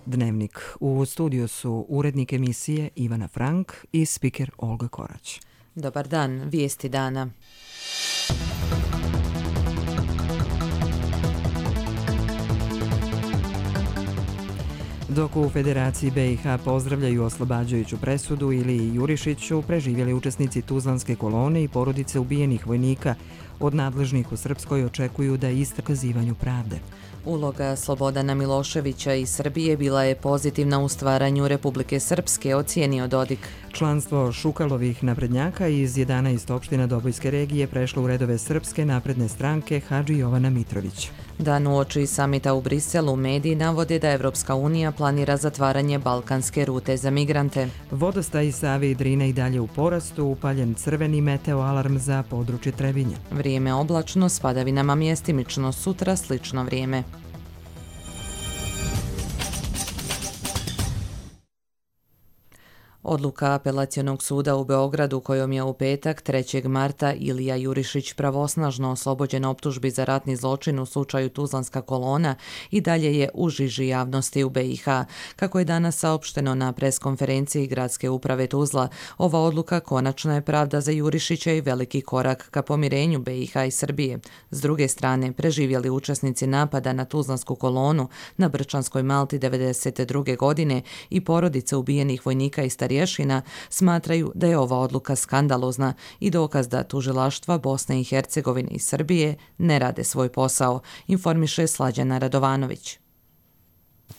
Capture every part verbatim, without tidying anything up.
Dnevnik. U studiju su urednik emisije Ivana Frank i spiker Olga Korać. Dobar dan, vijesti dana. Dok u Federaciji B i H pozdravljaju oslobađajuću presudu, Iliji Jurišiću, preživjeli učesnici Tuzlanske kolone i porodice ubijenih vojnika od nadležnih u Srpskoj očekuju da istrkazivanju pravde. Uloga Slobodana Miloševića i Srbije bila je pozitivna u stvaranju Republike Srpske, ocijenio Dodik. Članstvo Šukalovih naprednjaka iz jedanaest opština Dobojske regije prešlo u redove Srpske napredne stranke Hadži Jovana Mitrović. Dan uoči samita u Briselu, mediji navode da Evropska unija planira zatvaranje balkanske rute za migrante. Vodostaj Save i Drine i dalje u porastu, upaljen crveni meteo alarm za područje Trebinja. Vrijeme oblačno, s padavinama mjestimično, sutra slično vrijeme. Odluka Apelacionog suda u Beogradu kojom je u petak trećeg marta Ilija Jurišić pravosnažno oslobođen optužbi za ratni zločin u slučaju Tuzlanska kolona i dalje je u žiži javnosti u B i H. Kako je danas saopšteno na preskonferenciji Gradske uprave Tuzla, ova odluka konačna je pravda za Jurišića i veliki korak ka pomirenju B i H i Srbije. S druge strane, preživjeli učesnici napada na Tuzlansku kolonu na Brčanskoj Malti devedeset druge godine i porodice ubijenih vojnika i starješina smatraju da je ova odluka skandalozna i dokaz da tužilaštva Bosne i Hercegovine i Srbije ne rade svoj posao, informiše Slađana Radovanović.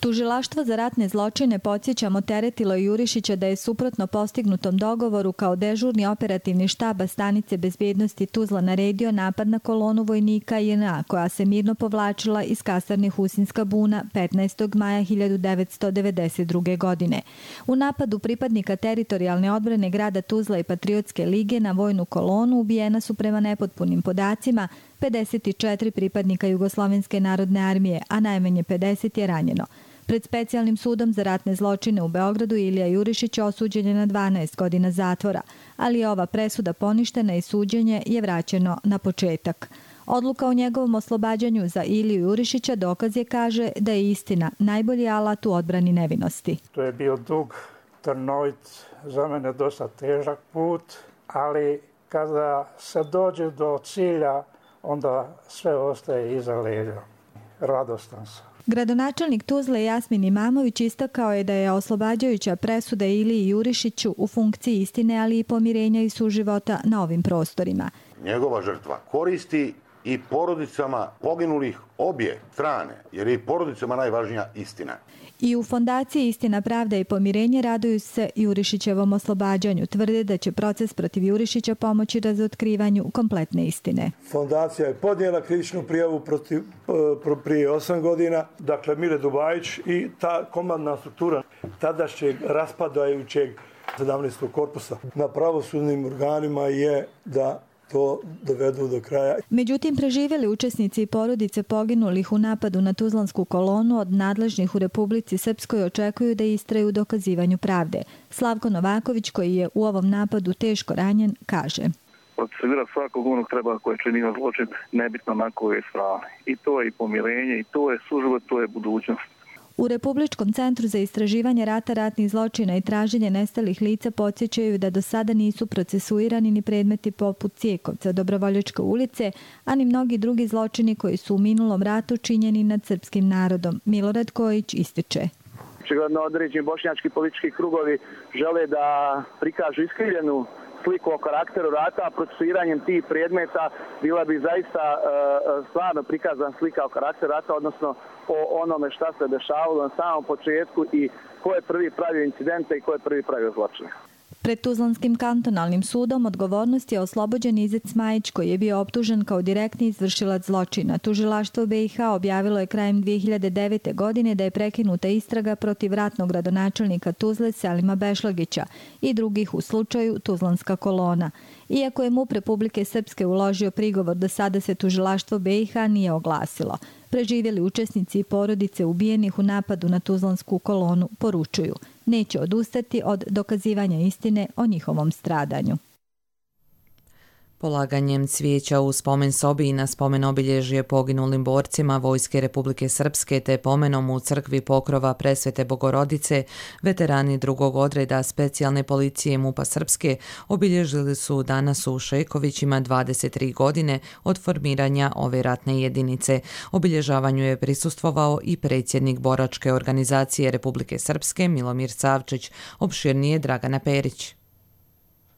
Tužilaštvo za ratne zločine, podsjećamo, teretilo Jurišića da je suprotno postignutom dogovoru kao dežurni operativni štaba stanice bezbjednosti Tuzla naredio napad na kolonu vojnika J N A koja se mirno povlačila iz kasarne Husinska buna petnaestog maja hiljadu devetsto devedeset druge. godine. U napadu pripadnika teritorijalne odbrane grada Tuzla i Patriotske lige na vojnu kolonu ubijena su prema nepotpunim podacima pedeset četiri pripadnika Jugoslovenske narodne armije, a najmanje pedeset je ranjeno. Pred specijalnim sudom za ratne zločine u Beogradu Ilija Jurišić osuđen je na dvanaest godina zatvora, ali je ova presuda poništena i suđenje je vraćeno na početak. Odluka o njegovom oslobađanju za Iliju Jurišića dokaz je, kaže, da je istina najbolji alat u odbrani nevinosti. To je bio dug, trnovit, za mene dosta težak put, ali kada se dođe do cilja, onda sve ostaje iza leđa. Radostan sam. Gradonačelnik Tuzle Jasmin Imamović istakao je da je oslobađajuća presuda Iliji Jurišiću u funkciji istine, ali i pomirenja i suživota na ovim prostorima. Njegova žrtva koristi i porodicama poginulih obje strane, jer je i porodicama najvažnija istina. I u Fondaciji Istina, pravda i pomirenje raduju se Jurišićevom oslobađanju. Tvrde da će proces protiv Jurišića pomoći razotkrivanju kompletne istine. Fondacija je podnijela krivičnu prijavu protiv, prije osam godina. Dakle, Mile Dubajić i ta komandna struktura tadašnjeg raspadajućeg sedamnaestog korpusa na pravosudnim organima je da to dovedu do kraja. Međutim, preživjeli učesnici i porodice poginulih u napadu na Tuzlansku kolonu od nadležnih u Republici Srpskoj očekuju da istraju u dokazivanju pravde. Slavko Novaković, koji je u ovom napadu teško ranjen, kaže: Procesuirati svakog onog treba koji je činio zločin, nebitno na kojoj strani. I to je i pomirenje, i to je suživot, to je budućnost. U Republičkom centru za istraživanje rata, ratnih zločina i traženje nestalih lica podsjećaju da do sada nisu procesuirani ni predmeti poput Cijekovca, Dobrovoljačke ulice, a ni mnogi drugi zločini koji su u minulom ratu činjeni nad srpskim narodom. Milorad Kojić ističe: Očigledno određeni bošnjački politički krugovi žele da prikažu iskrivljenu sliku o karakteru rata, a procesuiranjem tih predmeta bila bi zaista e, stvarno prikazana slika o karakteru rata, odnosno o onome šta se dešavalo na samom početku i ko je prvi pravio incidente i ko je prvi pravio zločine. Pred Tuzlanskim kantonalnim sudom odgovornost je oslobođen Izet Smajić, koji je bio optužen kao direktni izvršilac zločina. Tužilaštvo B i H objavilo je krajem dvije hiljade devete. godine da je prekinuta istraga protiv ratnog gradonačelnika Tuzle Selima Bešlagića i drugih u slučaju Tuzlanska kolona. Iako je M U P Republike Srpske uložio prigovor, do sada se tužilaštvo B i H nije oglasilo. Preživjeli učesnici i porodice ubijenih u napadu na Tuzlansku kolonu poručuju: neće odustati od dokazivanja istine o njihovom stradanju. Polaganjem cvijeća u spomen sobi i na spomen obilježje poginulim borcima Vojske Republike Srpske te pomenom u crkvi Pokrova Presvete Bogorodice, veterani drugog odreda specijalne policije MUP-a Srpske obilježili su danas u Šekovićima dvadeset tri godine od formiranja ove ratne jedinice. Obilježavanju je prisustvovao i predsjednik Boračke organizacije Republike Srpske Milomir Savčić, opširnije Dragana Perić.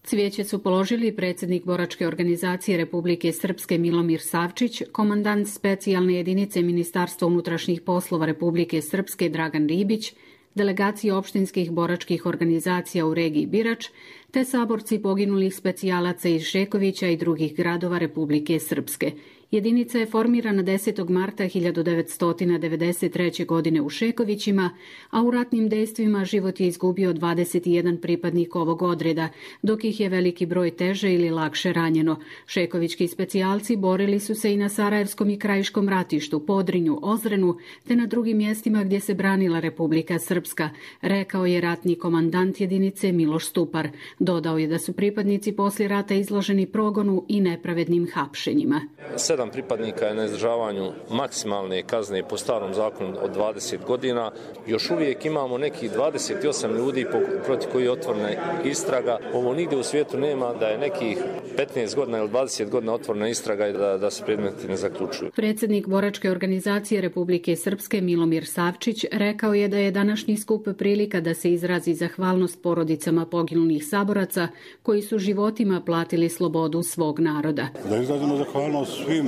Cvijeće su položili predsjednik Boračke organizacije Republike Srpske Milomir Savčić, komandant specijalne jedinice Ministarstva unutrašnjih poslova Republike Srpske Dragan Ribić, delegacije opštinskih boračkih organizacija u regiji Birač, te saborci poginulih specijalaca iz Šekovića i drugih gradova Republike Srpske. Jedinica je formirana desetog marta hiljadu devetsto devedeset treće. godine u Šekovićima, a u ratnim dejstvima život je izgubio dvadeset jedan pripadnik ovog odreda, dok ih je veliki broj teže ili lakše ranjeno. Šekovićki specijalci borili su se i na Sarajevskom i Krajiškom ratištu, Podrinju, Ozrenu, te na drugim mjestima gdje se branila Republika Srpska, rekao je ratni komandant jedinice Miloš Stupar. Dodao je da su pripadnici poslije rata izloženi progonu i nepravednim hapšenjima. Sedam pripadnika je na izdržavanju maksimalne kazne po starom zakonu od dvadeset godina. Još uvijek imamo nekih dvadeset osam ljudi protiv koji je otvorena istraga. Ovo nigdje u svijetu nema da je nekih petnaest godina ili dvadeset godina otvorena istraga i da, da se predmeti ne zaključuju. Predsjednik Boračke organizacije Republike Srpske Milomir Savčić rekao je da je današnji skup prilika da se izrazi zahvalnost porodicama poginulih saboraca koji su životima platili slobodu svog naroda. Da izrazimo zahvalnost svim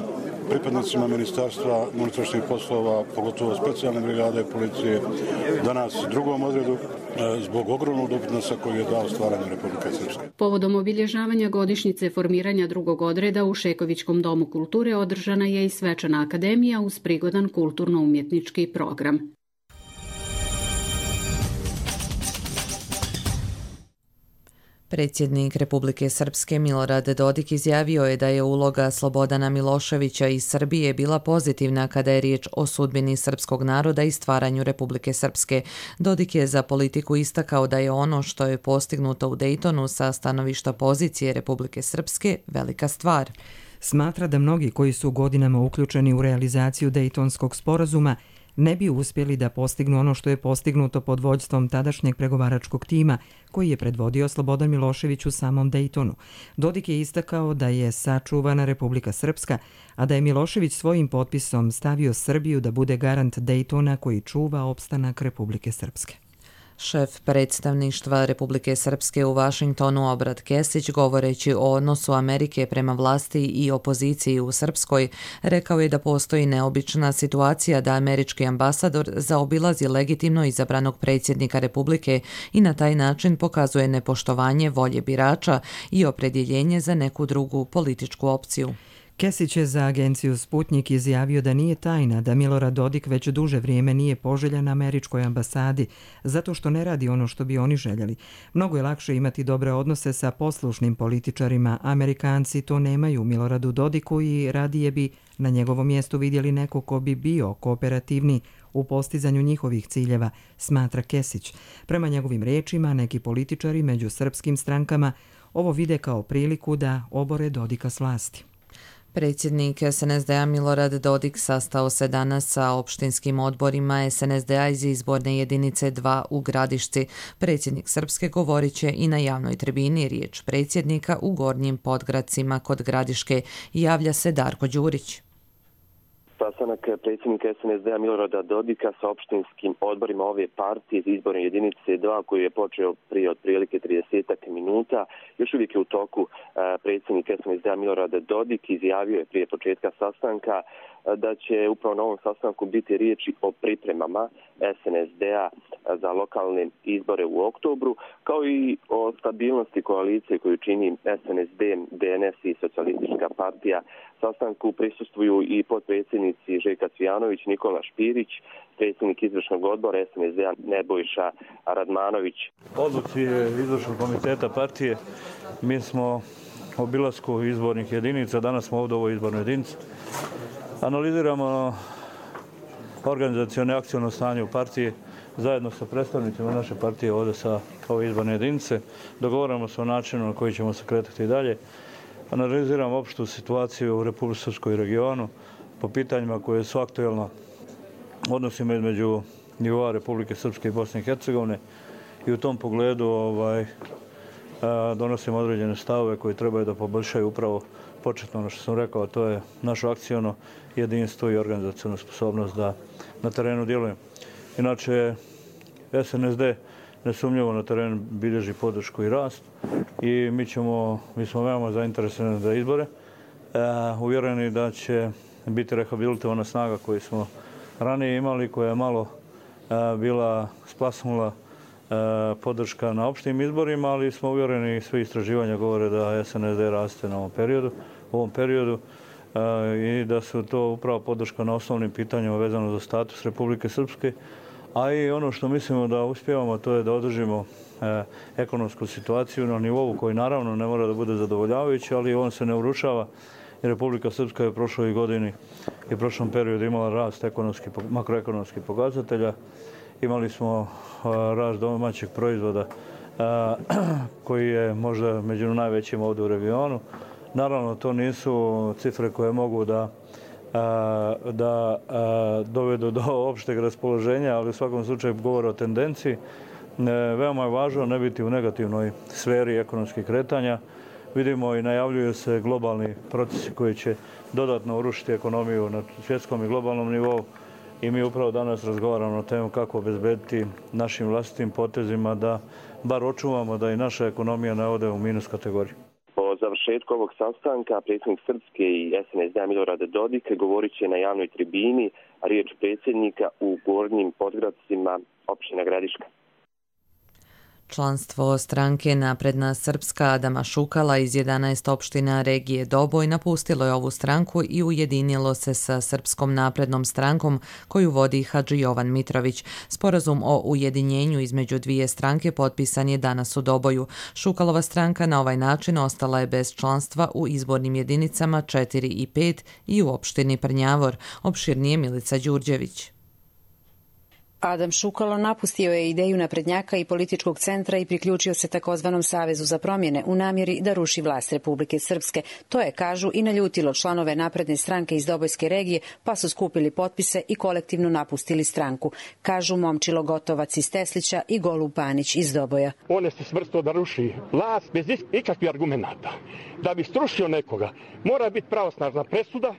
pripadnicima Ministarstva unutrašnjih poslova, pogotovo specijalne brigade policije, danas drugom odredu, zbog ogromnog doprinosa koji je dao stvaranju Republike Srpske. Povodom obilježavanja godišnjice formiranja drugog odreda u Šekovićkom domu kulture održana je i svečana akademija uz prigodan kulturno-umjetnički program. Predsjednik Republike Srpske Milorad Dodik izjavio je da je uloga Slobodana Miloševića iz Srbije bila pozitivna kada je riječ o sudbini srpskog naroda i stvaranju Republike Srpske. Dodik je za politiku istakao da je ono što je postignuto u Dejtonu sa stanovišta pozicije Republike Srpske velika stvar. Smatra da mnogi koji su godinama uključeni u realizaciju Dejtonskog sporazuma ne bi uspjeli da postignu ono što je postignuto pod vođstvom tadašnjeg pregovaračkog tima koji je predvodio Slobodan Milošević u samom Dejtonu. Dodik je istakao da je sačuvana Republika Srpska, a da je Milošević svojim potpisom stavio Srbiju da bude garant Dejtona koji čuva opstanak Republike Srpske. Šef predstavništva Republike Srpske u Vašingtonu Obrat Kesić, govoreći o odnosu Amerike prema vlasti i opoziciji u Srpskoj, rekao je da postoji neobična situacija da američki ambasador zaobilazi legitimno izabranog predsjednika Republike i na taj način pokazuje nepoštovanje volje birača i opredjeljenje za neku drugu političku opciju. Kesić je za agenciju Sputnik izjavio da nije tajna da Milorad Dodik već duže vrijeme nije poželjan na američkoj ambasadi zato što ne radi ono što bi oni željeli. Mnogo je lakše imati dobre odnose sa poslušnim političarima. Amerikanci to nemaju Miloradu Dodiku i radije bi na njegovom mjestu vidjeli neko ko bi bio kooperativni u postizanju njihovih ciljeva, smatra Kesić. Prema njegovim riječima, neki političari među srpskim strankama ovo vide kao priliku da obore Dodika s vlasti. Predsjednik es en es de a Milorad Dodik sastao se danas sa opštinskim odborima es en es de a iz izborne jedinice dva u Gradišci. Predsjednik Srpske govorit će i na javnoj tribini. Riječ predsjednika u Gornjim Podgradcima kod Gradiške. Javlja se Darko Đurić. Sastanak predsjednika es en es de a Milorada Dodika sa opštinskim odborima ove partije iz izborne jedinice dva koji je počeo prije otprilike trideset minuta. Još uvijek je u toku. Predsjednik es en es de a Milorada Dodik izjavio je prije početka sastanka da će upravo na ovom sastanku biti riječi o pripremama es en es de a za lokalne izbore u oktobru, kao i o stabilnosti koalicije koju čini es en es de, de en es i Socijalistička partija. Sastanku prisustvuju i potpredsjednici Željka Cvijanović, Nikola Špirić, predsjednik izvršnog odbora es en es de a Nebojša Radmanović. Odluci izvršnog komiteta partije mi smo obilasku izbornih jedinica, danas smo ovdje u ovoj izbornoj jedinici. Analiziramo organizacione akciono stanje u partiji zajedno sa predstavnicima naše partije ovdje sa ove izborne jedinice. Dogovaramo se o načinu na koji ćemo se kretati dalje. analiziramo opštu situaciju u Republici Srpskoj regionu po pitanjima koje su aktuelna odnosima između nivoa Republike Srpske i Bosne i Hercegovine i u tom pogledu ovaj, donosimo određene stavove koji trebaju da poboljšaju upravo početno ono što sam rekao, to je naše akciono jedinstvo i organizacionu sposobnost da na terenu djelujemo. Inače, S N S D nesumnjivo na terenu bilježi podršku i rast i mi, ćemo, mi smo veoma zainteresovani za izbore, e, uvjereni da će biti rehabilitovana snaga koju smo ranije imali, koja je malo e, bila splasnula e, podrška na opštim izborima, ali smo uvjereni, svi istraživanja govore da S N S D raste na ovom periodu, u ovom periodu e, i da su to upravo podrška na osnovnim pitanjima vezano za status Republike Srpske. A i ono što mislimo da uspijevamo, to je da održimo e, ekonomsku situaciju na nivou koji naravno ne mora da bude zadovoljavajući, ali on se ne urušava. I Republika Srpska je u prošloj godini i u prošlom periodu imala rast ekonomski, makroekonomskih pokazatelja. Imali smo e, rast domaćeg proizvoda e, koji je možda među najvećim ovdje u regionu. Naravno, to nisu cifre koje mogu da da dovedu do opšteg raspoloženja, ali u svakom slučaju govore o tendenciji. Veoma je važno ne biti u negativnoj sferi ekonomskih kretanja. Vidimo i najavljuju se globalni procesi koji će dodatno urušiti ekonomiju na svjetskom i globalnom nivou i mi upravo danas razgovaramo o temu kako obezbediti našim vlastitim potezima da bar očuvamo da i naša ekonomija ne ode u minus kategoriju. Po završetku ovog sastanka predsjednik Srpske i S N S D Milorad Dodik govorit će na javnoj tribini, a riječ predsjednika u Gornjim Podgradcima općina Gradiška. Članstvo stranke Napredna Srpska Adama Šukala iz jedanaest opština regije Doboj napustilo je ovu stranku i ujedinilo se sa Srpskom naprednom strankom koju vodi Hadži Jovan Mitrović. Sporazum o ujedinjenju između dvije stranke potpisan je danas u Doboju. Šukalova stranka na ovaj način ostala je bez članstva u izbornim jedinicama četiri i pet i u opštini Prnjavor. Opširnije Milica Đurđević. Adam Šukalo napustio je ideju naprednjaka i političkog centra i priključio se takozvanom Savezu za promjene u namjeri da ruši vlast Republike Srpske. To je, kažu, i naljutilo članove napredne stranke iz Dobojske regije, pa su skupili potpise i kolektivno napustili stranku. Kažu Momčilo Gotovac iz Teslića i Golub Panić iz Doboja. On je se svrstao da ruši vlast bez ikakvih argumenata. Da bi strušio nekoga, mora biti pravosnažna presuda,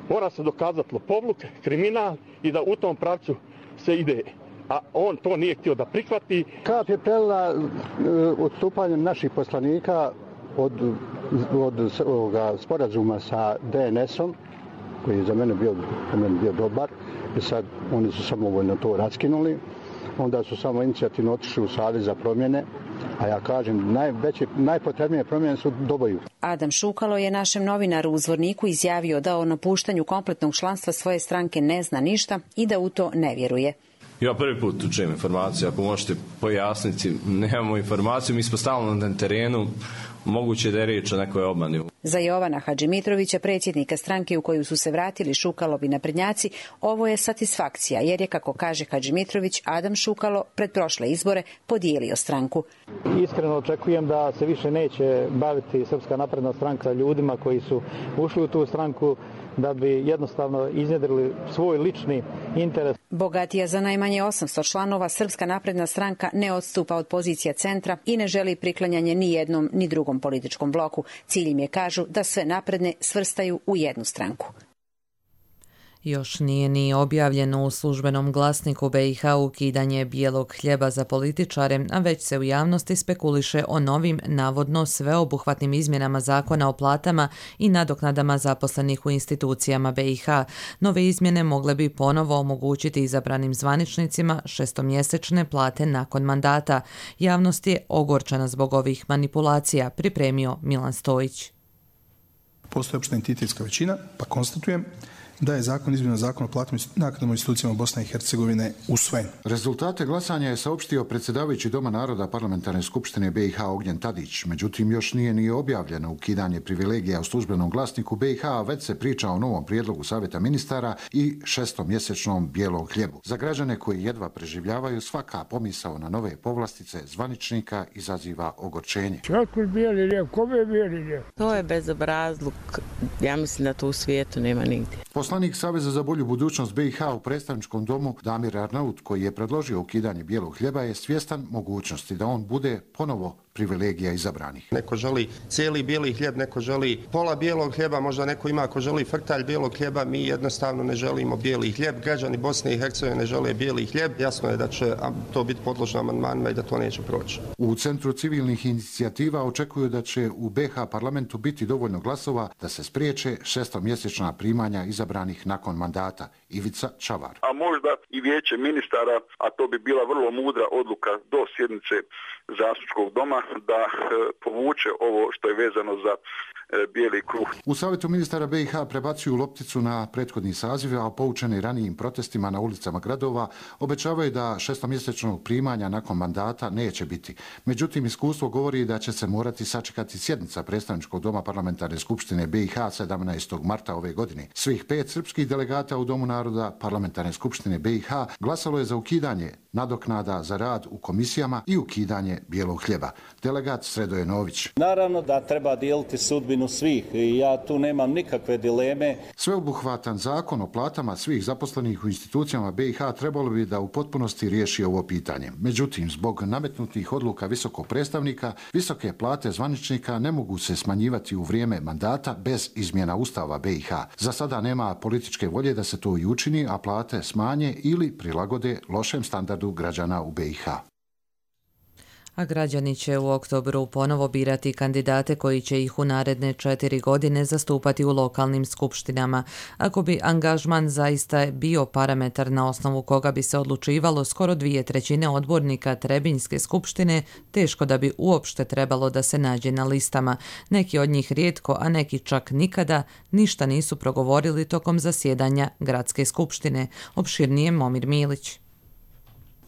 mora se dokazati lopovluk, kriminal i da u tom pravcu se ide, a on to nije htio da prihvati. Kap je prelila odstupanjem naših poslanika od, od ovoga sporazuma sa D N S-om, koji je za mene bio, za mene bio dobar, i sad oni su samovoljno to raskinuli. Onda su samo inicijativno otišli u Savez za promjene, a ja kažem, najveće, najpotrebnije promjene su u Doboju. Adam Šukalo je našem novinaru u Zvorniku izjavio da o napuštanju kompletnog članstva svoje stranke ne zna ništa i da u to ne vjeruje. Ja prvi put čujem informaciju, ako možete pojasniti, nemamo informaciju, mi smo stalno na terenu, moguće da je riječ o nekoj obmani. Za Jovana Hadžimitrovića, predsjednika stranke u koju su se vratili Šukalovi naprednjaci, ovo je satisfakcija, jer je, kako kaže Hadžimitrović, Adam Šukalo pred prošle izbore podijelio stranku. Iskreno očekujem da se više neće baviti Srpska napredna stranka ljudima koji su ušli u tu stranku da bi jednostavno iznjedrili svoj lični interes. Bogatija za najmanje osamsto članova, Srpska napredna stranka ne odstupa od pozicija centra i ne želi priklanjanje ni jednom ni drugom političkom bloku. Cilj im je, kažu, da sve napredne svrstaju u jednu stranku. Još nije ni objavljeno u službenom glasniku B i H ukidanje bijelog hljeba za političare, a već se u javnosti spekuliše o novim, navodno sveobuhvatnim izmjenama zakona o platama i nadoknadama zaposlenih u institucijama B i H. Nove izmjene mogle bi ponovo omogućiti izabranim zvaničnicima šestomjesečne plate nakon mandata. Javnost je ogorčena zbog ovih manipulacija, pripremio Milan Stojić. Postoji opšta entitetska većina, pa konstatujem da je zakon izmjena zakona o platnim naknadama institucijama Bosne i Hercegovine usvojen. Rezultate glasanja je saopštio predsjedavajući Doma naroda Parlamentarne skupštine B i H Ognjen Tadić. Međutim, još nije ni objavljeno ukidanje privilegija u službenom glasniku B i H, već se priča o novom prijedlogu Savjeta ministara i šestomjesečnom bijelom hljebu. Za građane koji jedva preživljavaju, svaka pomisao na nove povlastice zvaničnika izaziva ogorčenje. Kako bijeli hljeb? Kome je bijeli hljeb? To je bezobrazluk. Ja mislim da to u svijetu nema nigdje. Poslanik Saveza za bolju budućnost B i H u predstavničkom domu Damir Arnaut, koji je predložio ukidanje bijelog hljeba, je svjestan mogućnosti da on bude ponovo privilegija izabranih. Neko želi cijeli bijeli hljeb, neko želi pola bijelog hljeba, možda neko ima ako želi frtalj bijelog hljeba, mi jednostavno ne želimo bijeli hljeb. Građani Bosne i Hercegovine ne žele bijeli hljeb. Jasno je da će to biti podložno amandmanima i da to neće proći. U Centru civilnih inicijativa očekuju da će u B i H parlamentu biti dovoljno glasova da se spriječe šestomjesečna primanja izabranih nakon mandata. Ivica Čavar. A možda i vijeće ministara, a to bi bila vrlo mudra odluka do sjednice zastupničkog doma, da povuče ovo što je vezano za bijeli kruh. U Savjetu ministara B i H prebacuju lopticu na prethodni saziv, a poučeni ranijim protestima na ulicama gradova obećavaju da šestomjesečnog primanja nakon mandata neće biti. Međutim, iskustvo govori da će se morati sačekati sjednica predstavničkog doma Parlamentarne skupštine B i H sedamnaestog marta ove godine. Svih pet srpskih delegata u Domu naroda Parlamentarne skupštine B i H glasalo je za ukidanje nadoknada za rad u komisijama i ukidanje bijelog hljeba. Delegat Sredoje Nović. Naravno da treba dijeliti sudbinu svih i ja tu nemam nikakve dileme. Sveobuhvatan zakon o platama svih zaposlenih u institucijama B i H trebalo bi da u potpunosti riješi ovo pitanje. Međutim, zbog nametnutih odluka visokog predstavnika, visoke plate zvaničnika ne mogu se smanjivati u vrijeme mandata bez izmjena Ustava B i H. Za sada nema političke volje da se to i učini, a plate smanje ili prilagode lošem standardu građana u B i H. A građani će u oktobru ponovo birati kandidate koji će ih u naredne četiri godine zastupati u lokalnim skupštinama. Ako bi angažman zaista bio parametar na osnovu koga bi se odlučivalo skoro dvije trećine odbornika Trebinjske skupštine, teško da bi uopšte trebalo da se nađe na listama. Neki od njih rijetko, a neki čak nikada, ništa nisu progovorili tokom zasjedanja Gradske skupštine. Opširnije Momir Milić.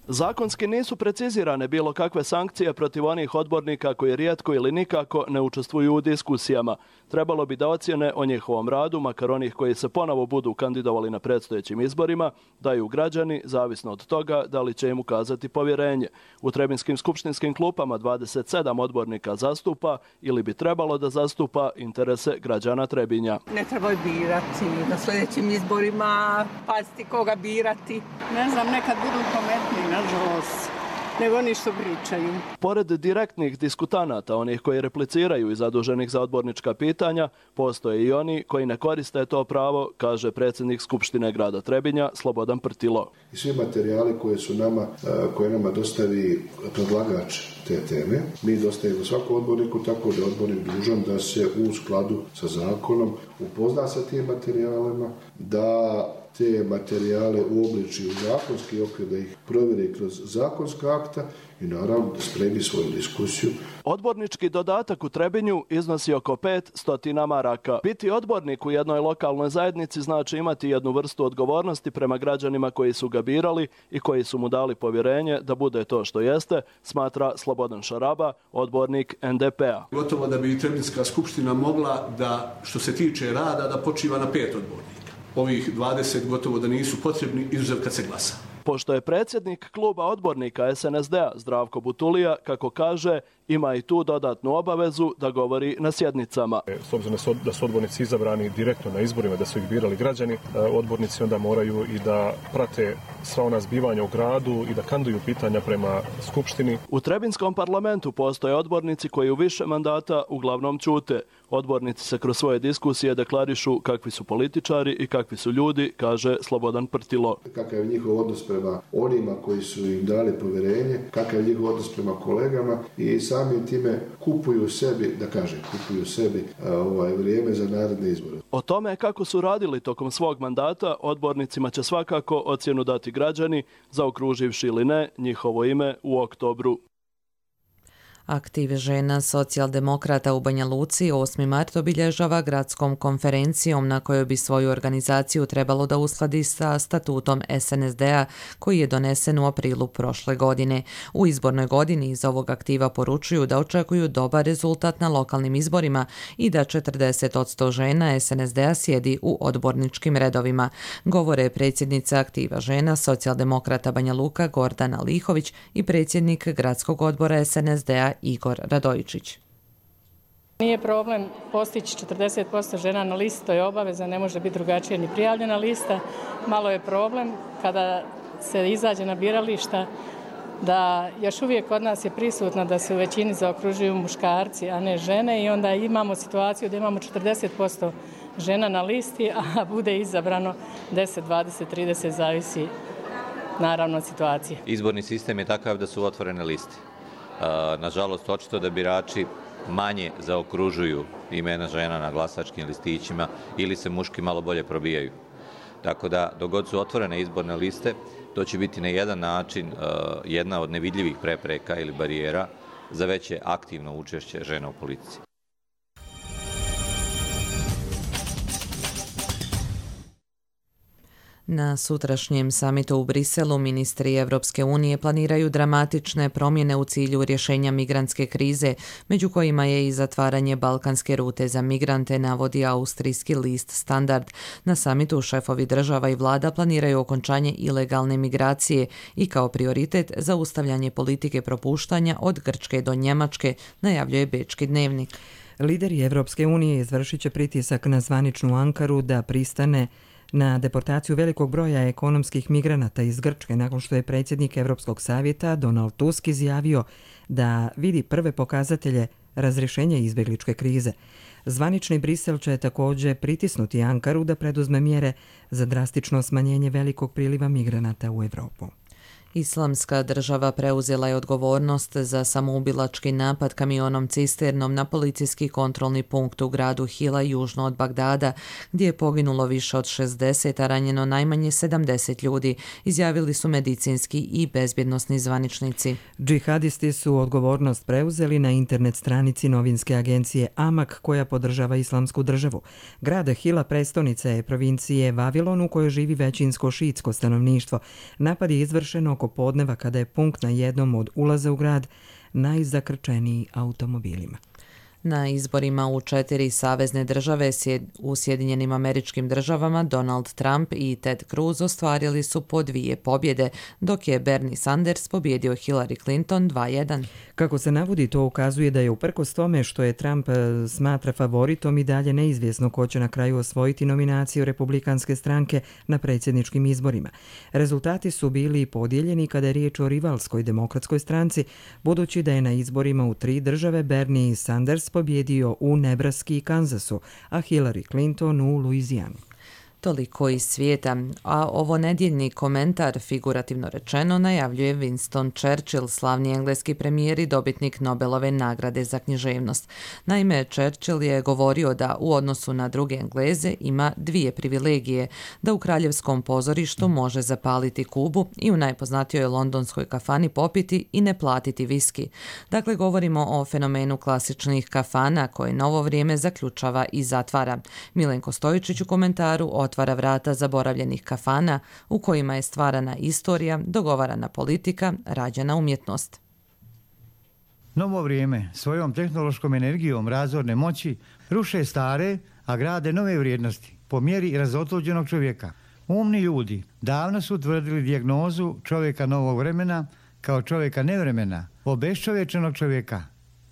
Zakonski nisu precizirane bilo kakve sankcije protiv onih odbornika koji rijetko ili nikako ne učestvuju u diskusijama. Trebalo bi da ocjene o njihovom radu, makar onih koji se ponovo budu kandidovali na predstojećim izborima, daju građani, zavisno od toga da li će im ukazati povjerenje. U Trebinskim skupštinskim klupama dvadeset sedam odbornika zastupa ili bi trebalo da zastupa interese građana Trebinja. Ne trebaju birati na sljedećim izborima, paziti koga birati. Ne znam, nekad budu pametni, nažalost, nego oni što pričaju. Pored direktnih diskutanata, onih koji repliciraju i zaduženih za odbornička pitanja, postoje i oni koji ne koriste to pravo, kaže predsjednik Skupštine grada Trebinja Slobodan Prtilo. I svi materijali koje su nama, koje nama dostavi predlagač te teme, mi dostavimo svakom odborniku, tako da je odbornik dužan da se u skladu sa zakonom upozna sa tim materijalima, da te materijale uobliči u zakonski okvir, da ih provjeri kroz zakonska akta i naravno da spremi svoju diskusiju. Odbornički dodatak u Trebinju iznosi oko pet stotina maraka. Biti odbornik u jednoj lokalnoj zajednici znači imati jednu vrstu odgovornosti prema građanima koji su ga birali i koji su mu dali povjerenje da bude to što jeste, smatra Slobodan Šaraba, odbornik N D P-a. Gotovo da bi Trebinjska skupština mogla da, što se tiče rada, da počiva na pet odbornika. Ovih dvadeset gotovo da nisu potrebni, izuzev kad se glasa. Pošto je predsjednik kluba odbornika S N S D-a Zdravko Butulija, kako kaže, ima i tu dodatnu obavezu da govori na sjednicama. S obzirom da su odbornici izabrani direktno na izborima, da su ih birali građani, odbornici onda moraju i da prate sva ona zbivanja u gradu i da kanduju pitanja prema Skupštini. U Trebinskom parlamentu postoje odbornici koji u više mandata uglavnom ćute. Odbornici se kroz svoje diskusije deklarišu kakvi su političari i kakvi su ljudi, kaže Slobodan Prtilo. Kakav je njihov odnos prema onima koji su im dali povjerenje, kakav je njihov odnos prema kolegama i samim time kupuju sebi, da kažem, kupuju sebi ovaj, vrijeme za naredne izbore. O tome kako su radili tokom svog mandata, odbornicima će svakako ocjenu dati građani, zaokruživši ili ne njihovo ime u oktobru. Aktiv žena socijaldemokrata u Banja Luci osmi mart obilježava gradskom konferencijom na kojoj bi svoju organizaciju trebalo da uskladi sa statutom S N S D-a koji je donesen u aprilu prošle godine. U izbornoj godini iz ovog aktiva poručuju da očekuju dobar rezultat na lokalnim izborima i da četrdeset posto žena S N S D-a sjedi u odborničkim redovima. Govore predsjednica aktiva žena socijaldemokrata Banja Luka Gordana Lihović i predsjednik gradskog odbora S N S D-a Igor Radojičić. Nije problem postići četrdeset posto žena na listi, to je obaveza, ne može biti drugačije ni prijavljena lista. Malo je problem kada se izađe na birališta da još uvijek kod nas je prisutno da se u većini zaokružuju muškarci, a ne žene i onda imamo situaciju da imamo četrdeset posto žena na listi, a bude izabrano deset, dvadeset, trideset, zavisi naravno od situacije. Izborni sistem je takav da su otvorene liste. Nažalost, očito da birači manje zaokružuju imena žena na glasačkim listićima ili se muški malo bolje probijaju. Tako da, dok god su otvorene izborne liste, to će biti na jedan način jedna od nevidljivih prepreka ili barijera za veće aktivno učešće žena u politici. Na sutrašnjem samitu u Briselu ministri Evropske unije planiraju dramatične promjene u cilju rješenja migrantske krize, među kojima je i zatvaranje balkanske rute za migrante, navodi austrijski list Standard. Na samitu šefovi država i vlada planiraju okončanje ilegalne migracije i kao prioritet zaustavljanje politike propuštanja od Grčke do Njemačke, najavljuje Bečki dnevnik. Lideri Evropske unije izvršit će pritisak na zvaničnu Ankaru da pristane na deportaciju velikog broja ekonomskih migranata iz Grčke nakon što je predsjednik Evropskog savjeta Donald Tusk izjavio da vidi prve pokazatelje razrješenja izbjegličke krize. Zvanični Brisel će također pritisnuti Ankaru da preduzme mjere za drastično smanjenje velikog priliva migranata u Evropu. Islamska država preuzela je odgovornost za samoubilački napad kamionom cisternom na policijski kontrolni punkt u gradu Hila južno od Bagdada, gdje je poginulo više od šezdeset, a ranjeno najmanje sedamdeset ljudi, izjavili su medicinski i bezbjednosni zvaničnici. Džihadisti su odgovornost preuzeli na internet stranici novinske agencije Amak koja podržava Islamsku državu. Grad Hila prestolnica je provincije Vavilon u kojoj živi većinsko šiitsko stanovništvo. Napad je izvršen oko podneva kada je punkt na jednom od ulaza u grad najzakrčeniji automobilima. Na izborima u četiri savezne države u Sjedinjenim Američkim Državama Donald Trump i Ted Cruz ostvarili su po dvije pobjede, dok je Bernie Sanders pobjedio Hillary Clinton dva jedan. Kako se navodi, to ukazuje da je uprkos tome što je Trump smatra favoritom i dalje neizvjesno ko će na kraju osvojiti nominaciju Republikanske stranke na predsjedničkim izborima. Rezultati su bili podijeljeni kada je riječ o rivalskoj demokratskoj stranci, budući da je na izborima u tri države Bernie Sanders pobjedio u Nebraski i Kansasu, a Hillary Clinton u Luizijanu. Toliko iz svijeta, a ovo nedjeljni komentar, figurativno rečeno, najavljuje Winston Churchill, slavni engleski premijer i dobitnik Nobelove nagrade za književnost. Naime, Churchill je govorio da u odnosu na druge Engleze ima dvije privilegije, da u kraljevskom pozorištu može zapaliti kubu i u najpoznatijoj londonskoj kafani popiti i ne platiti viski. Dakle, govorimo o fenomenu klasičnih kafana koje novo vrijeme zaključava i zatvara. Milenko Stojičić u komentaru otvara vrata zaboravljenih kafana u kojima je stvarana istorija, dogovarana politika, rađena umjetnost. Novo vrijeme svojom tehnološkom energijom razorne moći ruše stare, a grade nove vrijednosti po mjeri razotluđenog čovjeka. Umni ljudi davno su utvrdili dijagnozu čovjeka novog vremena kao čovjeka nevremena, obeščovječenog čovjeka,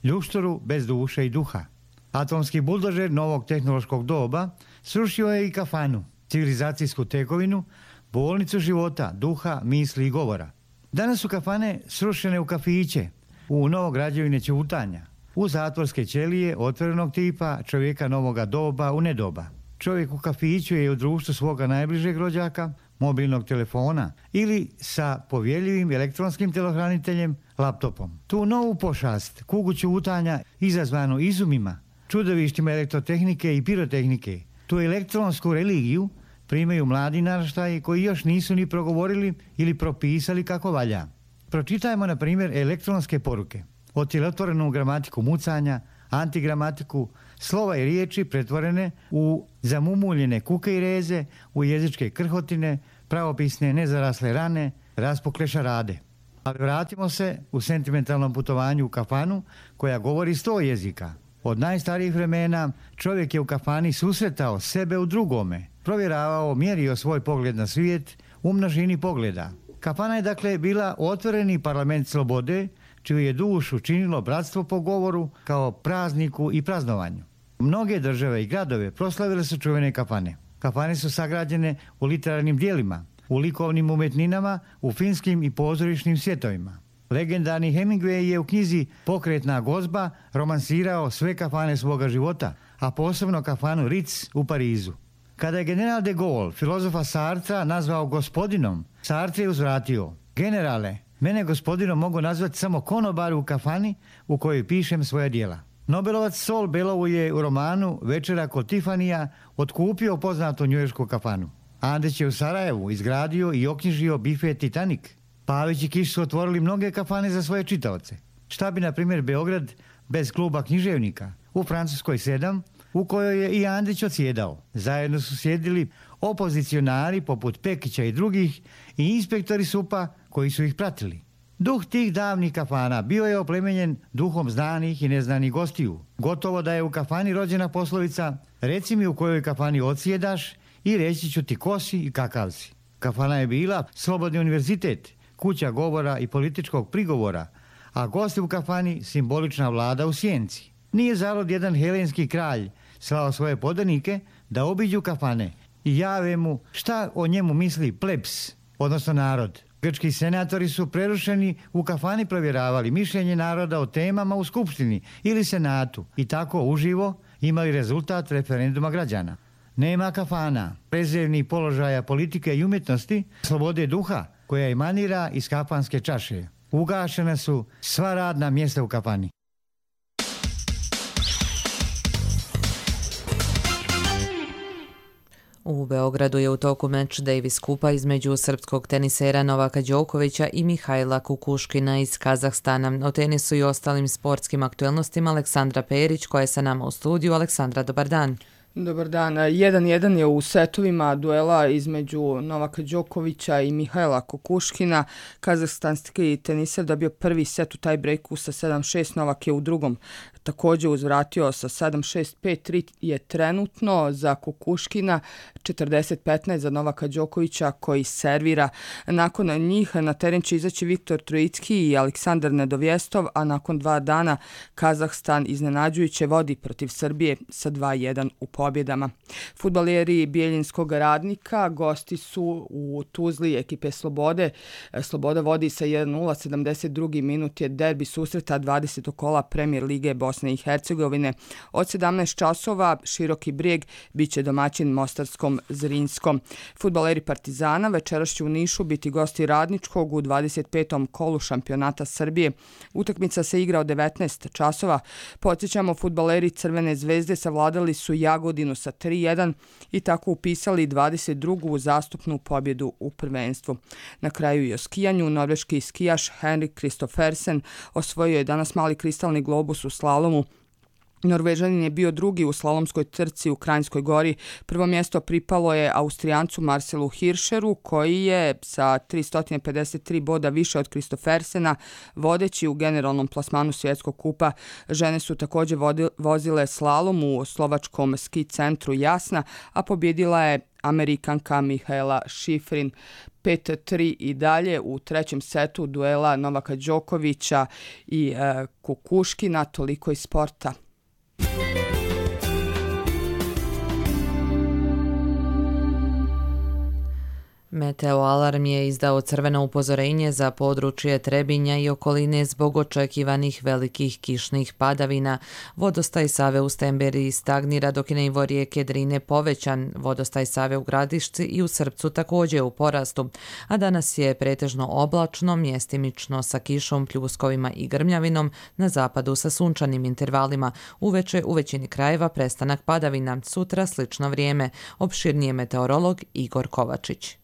ljuštoru bez duše i duha. Atomski buldožer novog tehnološkog doba srušio je i kafanu, civilizacijsku tekovinu, bolnicu života, duha, misli i govora. Danas su kafane srušene u kafiće, u novograđevine ćutanja, u zatvorske ćelije otvorenog tipa čovjeka novoga doba u nedoba. Čovjek u kafiću je u društvu svoga najbližeg rođaka, mobilnog telefona ili sa povjerljivim elektronskim telohraniteljem, laptopom. Tu novu pošast, kugu ćutanja izazvanu izumima, čudovištima elektrotehnike i pirotehnike, tu elektronsku religiju primaju mladi naraštaji koji još nisu ni progovorili ili propisali kako valja. Pročitajmo, na primjer, elektronske poruke. od tjelotvorenu gramatiku mucanja, antigramatiku, slova i riječi pretvorene u zamumuljene kuke i reze, u jezičke krhotine, pravopisne nezarasle rane, raspukle šarade. Ali vratimo se u sentimentalnom putovanju u kafanu koja govori sto jezika. Od najstarijih vremena čovjek je u kafani susretao sebe u drugome, provjeravao, mjerio svoj pogled na svijet u množini pogleda. Kafana je dakle bila otvoreni parlament slobode, čiju je dušu činilo bratstvo po govoru kao prazniku i praznovanju. Mnoge države i gradove proslavile su čuvene kafane. Kafane su sagrađene u literarnim dijelima, u likovnim umetninama, u filmskim i pozorišnim svjetovima. Legendarni Hemingway je u knjizi Pokretna gozba romansirao sve kafane svoga života, a posebno kafanu Ritz u Parizu. Kada je general de Gaulle filozofa Sartra nazvao gospodinom, Sartre je uzvratio: generale, mene gospodinom mogu nazvati samo konobar u kafani u kojoj pišem svoja djela. Nobelovac Saul Bellow je u romanu Večera kod Tifanija otkupio poznatu njujoršku kafanu. Andrić je u Sarajevu izgradio i oknjižio bife Titanic. Pavić i Kiš su otvorili mnoge kafane za svoje čitaoce. Šta bi, na primjer, Beograd bez kluba književnika? U Francuskoj sedam, u kojoj je i Andrić odsjedao. Zajedno su sjedili opozicionari poput Pekića i drugih i inspektori S U P-a koji su ih pratili. Duh tih davnih kafana bio je oplemenjen duhom znanih i neznanih gostiju. Gotovo da je u kafani rođena poslovica: reci mi u kojoj kafani odsjedaš i reći ću ti ko si i kakav si. Kafana je bila slobodni univerzitet, kuća govora i političkog prigovora, a gosti u kafani simbolična vlada u sjenci. Nije zalud jedan helenski kralj slao svoje podanike da obiđu kafane i jave mu šta o njemu misli plebs, odnosno narod. Grčki senatori su prerušeni u kafani provjeravali mišljenje naroda o temama u skupštini ili senatu i tako uživo imali rezultat referenduma građana. Nema kafana, prezirnih položaja politike i umjetnosti, slobode duha koja emanira iz kafanske čaše. Ugašena su sva radna mjesta u kafani. U Beogradu je u toku meč Davis Kupa između srpskog tenisera Novaka Đokovića i Mihajla Kukuškina iz Kazahstana. O tenisu i ostalim sportskim aktuelnostima Aleksandra Perić, koja je sa nama u studiju. Aleksandra, dobar dan. Dobar dan. jedan jedan je u setovima duela između Novaka Đokovića i Mihajla Kukuškina. Kazahstanski teniser dobio prvi set u taj breaku sa sedam šest, Novak je u drugom također uzvratio sa sedam šest, pet tri je trenutno za Kukuškina, četrdeset petnaest za Novaka Đokovića koji servira. Nakon njih na teren će izaći Viktor Trojicki i Aleksandar Nedovjestov, a nakon dva dana Kazahstan iznenađujuće vodi protiv Srbije sa dva jedan u pobjedama. Fudbaleri Bijeljinskog Radnika gosti su u Tuzli ekipe Slobode. Sloboda vodi sa jedan nula, sedamdeset drugi minut je derbi susreta dvadesetog kola Premier lige Bosne i Hercegovine. Od sedamnaest časova Široki Brijeg biće domaćin Mostarskom Zrinskom. Fudbaleri Partizana večeras će u Nišu biti gosti Radničkog u dvadeset petom kolu šampionata Srbije. Utakmica se igra od devetnaest časova. Podsjećamo, fudbaleri Crvene zvezde savladali su Jagodinu sa tri jedan i tako upisali dvadeset drugu uzastopnu pobjedu u prvenstvu. Na kraju i o skijanju, norveški skijaš Henrik Kristoffersen osvojio je danas mali kristalni globus u slalomu. Norvežanin je bio drugi u slalomskoj trci u Kranjskoj Gori. Prvo mjesto pripalo je Austrijancu Marcelu Hirscheru, koji je sa tristo pedeset tri boda više od Kristoffersena vodeći u generalnom plasmanu svjetskog kupa. Žene su također vozile slalom u slovačkom ski centru Jasna, a pobjedila je Amerikanka Mihaela Šifrin. pet tri i dalje u trećem setu duela Novaka Đokovića i e, Kukuškina. Toliko iz sporta. Meteo alarm je izdao crveno upozorenje za područje Trebinja i okoline zbog očekivanih velikih kišnih padavina. Vodostaj Save u Stemberiji stagnira, dok je nivo rijeke Drine povećan. Vodostaj Save u Gradišci i u Srpcu također u porastu. A danas je pretežno oblačno, mjestimično sa kišom, pljuskovima i grmljavinom, na zapadu sa sunčanim intervalima. Uveče u većini krajeva prestanak padavina. Sutra slično vrijeme. Opširnije meteorolog Igor Kovačić.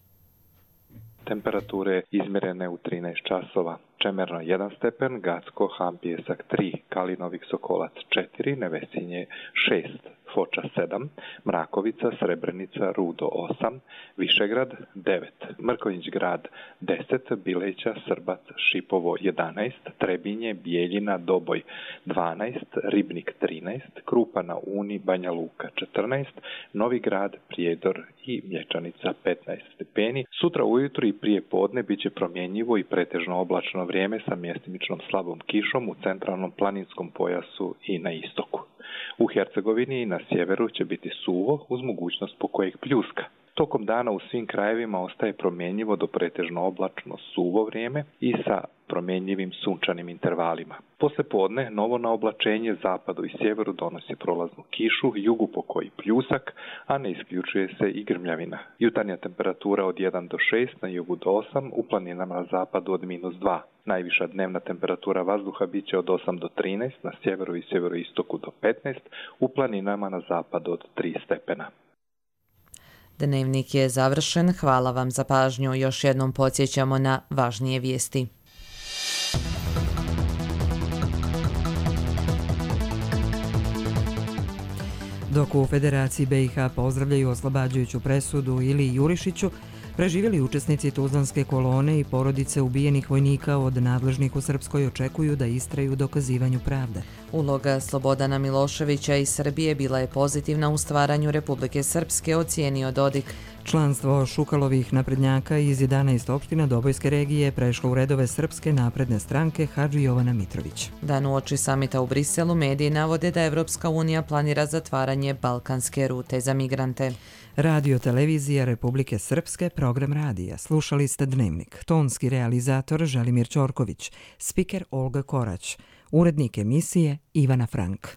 Temperature izmjerene u trinaest časova. Čemerno jedan stepen, Gacko, Han Pijesak tri, Kalinovik Sokolac četiri, Nevesinje šest, Foča sedam, Mrakovica, Srebrenica, Rudo osam, Višegrad devet, Mrkonjić Grad deset, Bileća, Srbac, Šipovo jedanaest, Trebinje, Bijeljina, Doboj dvanaest, Ribnik trinaest, Krupa na Uni, Banja Luka četrnaest, Novi Grad, Prijedor i Mlječanica petnaest stepeni. Sutra ujutro i prije podne bit će promjenjivo i pretežno oblačno vrijeme sa mjestimičnom slabom kišom u centralnom planinskom pojasu i na istoku. U Hercegovini i na sjeveru će biti suvo uz mogućnost pokojeg pljuska. Tokom dana u svim krajevima ostaje promjenjivo do pretežno oblačno suvo vrijeme i sa promjenjivim sunčanim intervalima. Poslije podne novo na oblačenje zapadu i sjeveru donosi prolaznu kišu, jugu pokoji pljusak, a ne isključuje se i grmljavina. Jutarnja temperatura od jedan do šest, na jugu do osam, u planinama na zapadu od minus dva. Najviša dnevna temperatura vazduha bit će od osam do trinaest, na sjeveru i sjeveroistoku do petnaest, u planinama na zapadu od tri stepena. Dnevnik je završen. Hvala vam za pažnju. Još jednom podsjećamo na važnije vijesti. Dok u Federaciji B i H pozdravljaju oslobađajuću presudu Iliji Jurišiću, preživjeli učesnici Tuzlanske kolone i porodice ubijenih vojnika od nadležnih u Srpskoj očekuju da istraju u dokazivanju pravde. Uloga Slobodana Miloševića iz Srbije bila je pozitivna u stvaranju Republike Srpske, ocijenio Dodik. Članstvo Šukalovih naprednjaka iz jedanaest opština Dobojske regije prešlo u redove Srpske napredne stranke Hadži Jovana Mitrović. Dan uoči samita u Briselu mediji navode da Evropska unija planira zatvaranje balkanske rute za migrante. Radio televizija Republike Srpske, program radija. Slušali ste Dnevnik. Tonski realizator Želimir Ćorković, spiker Olga Korać, urednik emisije Ivana Frank.